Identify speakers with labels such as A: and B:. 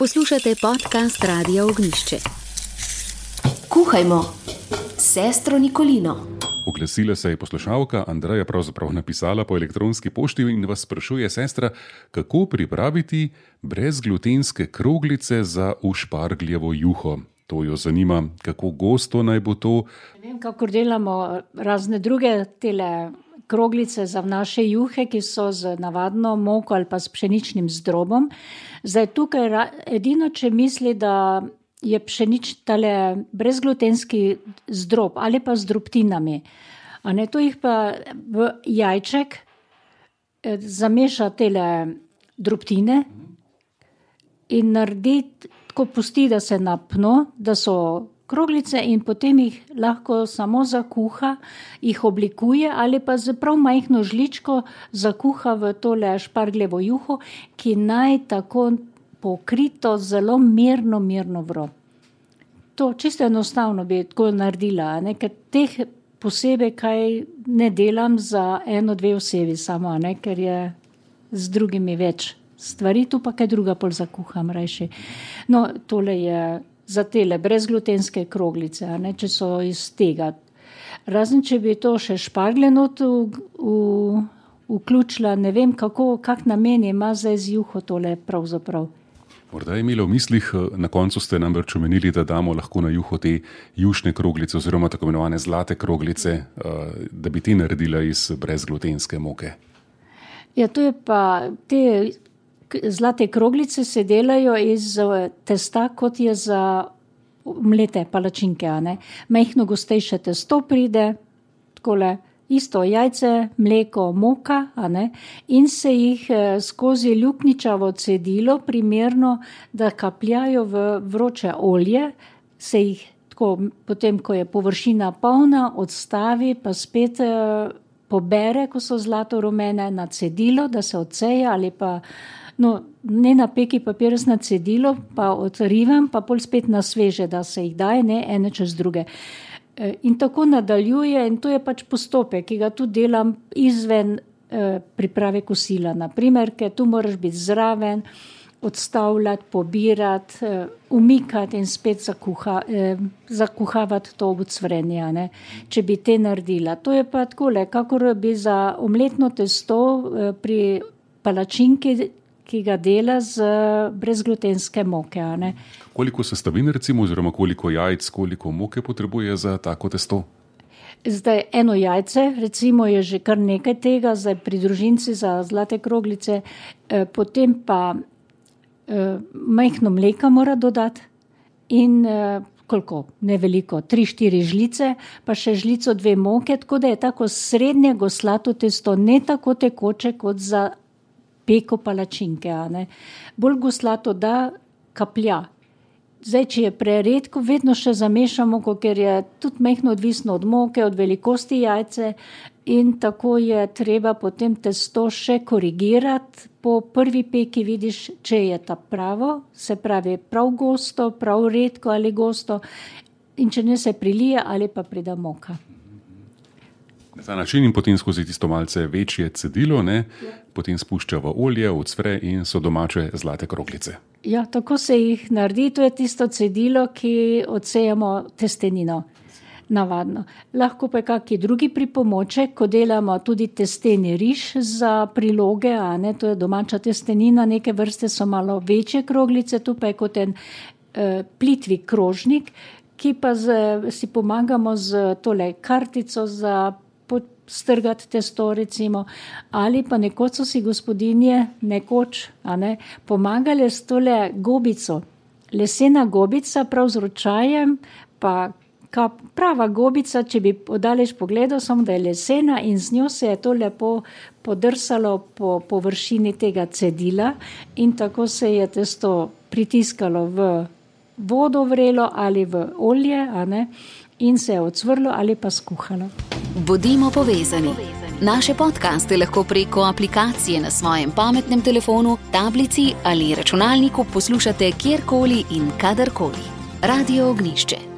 A: Poslušate podcast Radia Ognišče.
B: Kuhajmo s sestro Nikolino.
C: Oglasila se je poslušalka Andreja, pravzaprav napisala po elektronski pošti in vas sprašuje, sestra, kako pripraviti brezglutenske kroglice za ušpargljevo juho. To jo zanima, kako gosto naj bo to.
D: Ne vem, kako delamo razne druge tele kroglice za naše juhe, ki so z navadno moko ali pa s pšeničnim zdrobom. Zdaj tukaj edino, če misli, da je tale brezglutenski zdrob ali pa z drobtinami. To jih pa v jajček zameša tele drobtine in naredi, tako pusti, da se napno, da so kroglice in potem jih lahko samo zakuha, jih oblikuje ali pa z prav majhno žličko zakuha v tole špargljevo juho, ki naj tako pokrito zelo mirno vro. To čisto enostavno bi tako naredila, ker teh posebej kaj ne delam za 1-2 osebi samo, ker je z drugimi več stvari, tu pa kaj druga pol zakuham rajši. Tole je za tele brezglutenske kroglice, če so iz tega. Razen, če bi to še špargljeno vključila, ne vem, kak namen ima zdaj z juho tole pravzaprav.
C: Morda je imela v mislih, na koncu ste namreč omenili, da damo lahko na juho te jušne kroglice oziroma tako imenovane zlate kroglice, da bi te naredila iz brezglutenske moke. Ja, to je pa, te zlate kroglice se delajo iz testa, kot je za mlete palačinke. Majhno gostejše testo pride, takole, isto jajce, mleko, moka, in se jih skozi ljukničavo cedilo primerno, da kapljajo v vroče olje, se jih tako potem, ko je površina polna, odstavi, pa spet pobere, ko so zlato rumene, na cedilo, da se odseje ali pa ne na peki papir, na cedilo, pa odrivam, pa pol spet na sveže, da se jih daje, ene čez druge. In tako nadaljuje in to je pač postopek, ki ga tudi delam izven priprave kosila. Naprimer, ker tu moraš biti zraven, odstavljati, pobirati, umikati in spet zakuhavati to ucvrenje, če bi te naredila. To je pa takole, kakor bi za omletno testo pri palačinki, ki ga dela z brezglutenske moke. Koliko sestavin recimo, oziroma koliko jajc, koliko moke potrebuje za tako testo?
D: Zdaj 1 jajce, recimo je že kar nekaj tega, zdaj pri družinci za zlate kroglice, potem pa majhno mleka mora dodati in koliko, ne veliko, 3-4 žlice, pa še žlico 2 moke, tako da je tako srednje goslato testo, ne tako tekoče kot za peko palačinke. Bolj goslato, da kaplja. Zdaj, če je preredko, vedno še zamešamo, ker je tudi majhno odvisno od moke, od velikosti jajce in tako je treba potem testo še korigirati. Po prvi peki vidiš, če je ta pravo, se pravi prav gosto, prav redko ali gosto in če ne se prilije ali pa prida moka.
C: Na ta način in potem skozi tisto malce večje cedilo, potem spušča v olje, ucvre in so domače zlate kroglice.
D: Ja, tako se jih naredi, to je tisto cedilo, ki odsejamo testenino, navadno. Lahko pa je kakšen drugi pripomoček, ko delamo tudi testeni riž za priloge, to je domača testenina, neke vrste so malo večje kroglice, tu pa je kot en plitvi krožnik, ki pa si pomagamo z tole kartico za strgati testo recimo, ali pa nekoč so si gospodinje pomagale s tole gobico. Lesena gobica, prav z ročajem, pa prava gobica, če bi odaleč pogledal, samo da je lesena in z njo se je to lepo podrsalo po površini tega cedila in tako se je testo pritiskalo v vodo vrelo ali v olje, in se je odsvrlo ali pa skuhalo.
A: Bodimo povezani. Naše podcaste lahko preko aplikacije na svojem pametnem telefonu, tablici ali računalniku poslušate kjerkoli in kadarkoli. Radio Ognišče.